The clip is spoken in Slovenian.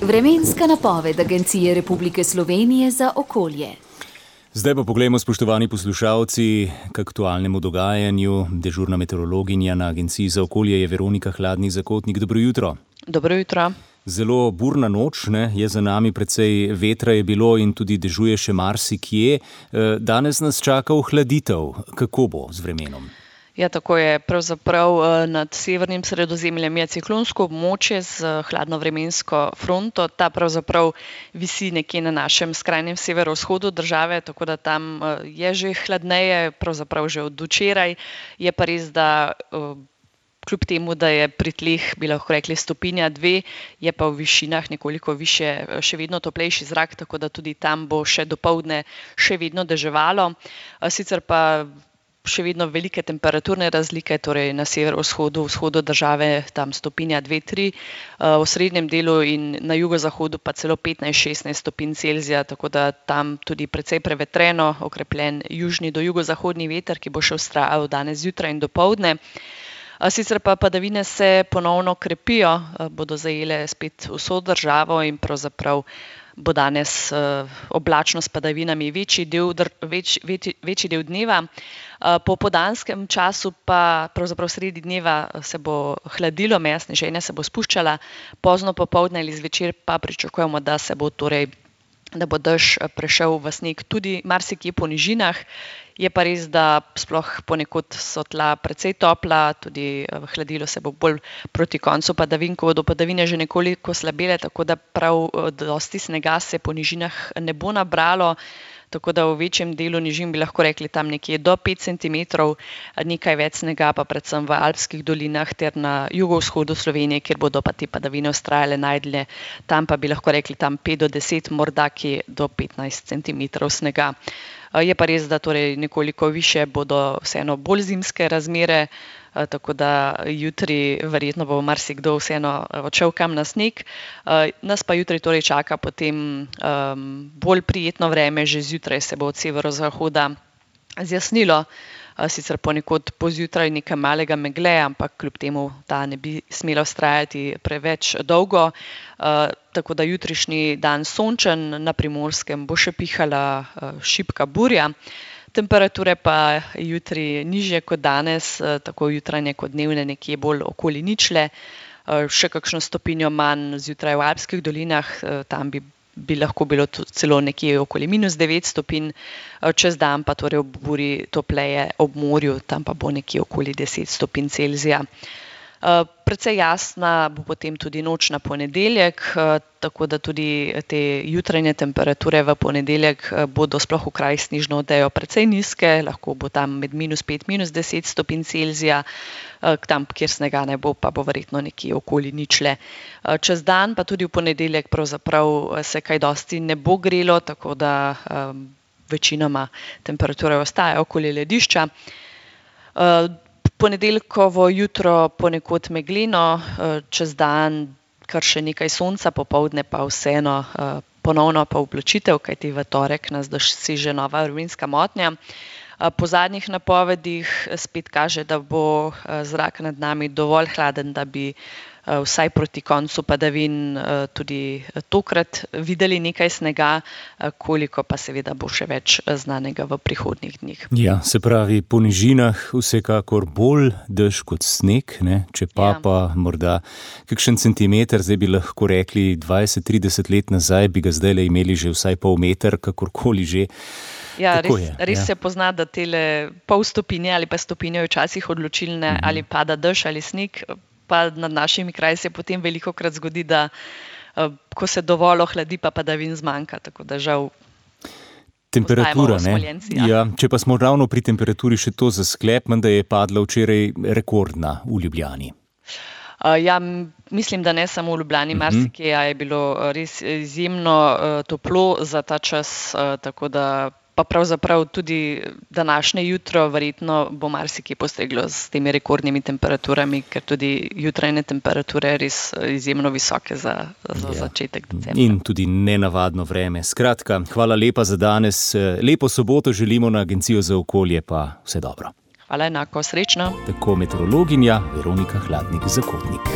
Vremenska napoved Agencije Republike Slovenije za okolje. Zdaj pa poglejmo, spoštovani poslušalci, k aktualnemu dogajanju. Dežurna meteorologinja na Agenciji za okolje je Veronika Hladnik-Zakotnik. Dobro jutro. Dobro jutro. Zelo burna noč, je za nami, precej vetra je bilo in tudi dežuje še marsikje. Danes nas čaka ohladitev. Kako bo z vremenom? Ja, tako je. Pravzaprav nad severnim Sredozemljem je ciklonsko območje z hladno vremensko fronto. Ta pravzaprav visi nekje na našem skrajnem severovzhodu države, tako da tam je že hladneje, pravzaprav že od včeraj. Je pa res, da kljub temu, da je pri tleh, bi lahko rekli, 1,2, je pa v višinah nekoliko više še vedno toplejši zrak, tako da tudi tam bo še dopoldne še vedno deževalo. Sicer pa še vedno velike temperaturne razlike, torej na severovzhodu, vzhodu države tam 1,2–3, v srednjem delu in na jugozahodu pa celo 15–16 stopinj Celzija, tako da tam tudi precej prevetreno, okrepljen južni do jugozahodni veter, ki bo še vztrajal danes zjutraj in dopoldne. Sicer pa padavine se ponovno krepijo, bodo zajele spet vso državo in pravzaprav bo danes oblačno s padavinami večji del dneva. Po popoldanskem času pa pravzaprav sredi dneva se bo hladilo, meja sneženja se bo spuščala, pozno popoldne ali zvečer pa pričakujemo, da bo dež prešel v sneg tudi marsikje po nižinah. Je pa res, da sploh ponekod so tla precej topla, tudi hladilo se bo bolj proti koncu padavin, ko bodo padavine že nekoliko slabele, tako da prav dosti snega se po nižinah ne bo nabralo, tako da v večjem delu nižin bi lahko rekli tam nekje do 5 centimetrov, nekaj več snega pa predvsem v alpskih dolinah ter na jugovzhodu Slovenije, kjer bodo pa te padavine vztrajale najdlje, tam pa bi lahko rekli tam 5 do 10, morda kje do 15 centimetrov snega. Je pa res, da torej nekoliko više bodo vseeno bolj zimske razmere, tako da jutri verjetno bo marsikdo vseeno odšel kam na sneg. Nas pa jutri torej čaka potem bolj prijetno vreme, že zjutraj se bo od severozahoda zjasnilo, sicer ponekod pozjutraj nekaj malega megle, ampak kljub temu ta ne bi smela vztrajati preveč dolgo. Tako da jutrišnji dan sončen, na Primorskem bo še pihala šibka burja. Temperature pa jutri nižje kot danes, tako jutranje kot dnevne nekje bolj okoli ničle. Še kakšno stopinjo manj zjutraj v alpskih dolinah, tam bi lahko bilo celo nekje okoli -9 stopinj, čez dan pa torej ob burji topleje ob morju, tam pa bo nekje okoli 10 stopinj Celzija. Precej jasna bo potem tudi noč na ponedeljek, tako da tudi te jutranje temperature v ponedeljek bodo sploh v krajih s snežno odejo precej nizke, lahko bo tam med -5, -10 stopinj Celzija, tam, kjer snega ne bo, pa bo verjetno nekje okoli ničle. Čez dan pa tudi v ponedeljek pravzaprav se kaj dosti ne bo grelo, tako da večinoma temperature ostajajo okoli ledišča. Ponedeljkovo jutro ponekod megleno, čez dan kar še nekaj sonca, popoldne pa vseeno ponovno pa oblačitev, kajti v torek nas doseže nova vremenska motnja. Po zadnjih napovedih spet kaže, da bo zrak nad nami dovolj hladen, da bi vsaj proti koncu padavin tudi tokrat videli nekaj snega, koliko pa seveda bo še več znanega v prihodnjih dneh. Ja, se pravi, po nižinah vsekakor bolj dež kot sneg, če pa morda kakšen centimeter, zdaj bi lahko rekli 20–30 let nazaj, bi ga zdaj imeli že vsaj pol meter, kakorkoli že. Ja, res se pozna, da tele pol stopinje ali pa stopinje včasih odločilne, ali pada dež ali sneg, pa nad našimi kraji se potem velikokrat zgodi, da ko se dovolj ohladi, pa padavin zmanjka, tako da žal temperatura, če pa smo ravno pri temperaturi, še to za sklep, da je padla včeraj rekordna v Ljubljani. Mislim, da ne samo v Ljubljani, marsikje je bilo res izjemno toplo za ta čas, tako da pa pravzaprav tudi današnje jutro verjetno bo marsikje postreglo s temi rekordnimi temperaturami, ker tudi jutrajne temperature res izjemno visoke za začetek decembra. In tudi nenavadno vreme. Skratka, hvala lepa za danes. Lepo soboto želimo na Agencijo za okolje, pa vse dobro. Hvala enako, srečno. Tako meteorologinja Veronika Hladnik-Zakotnik.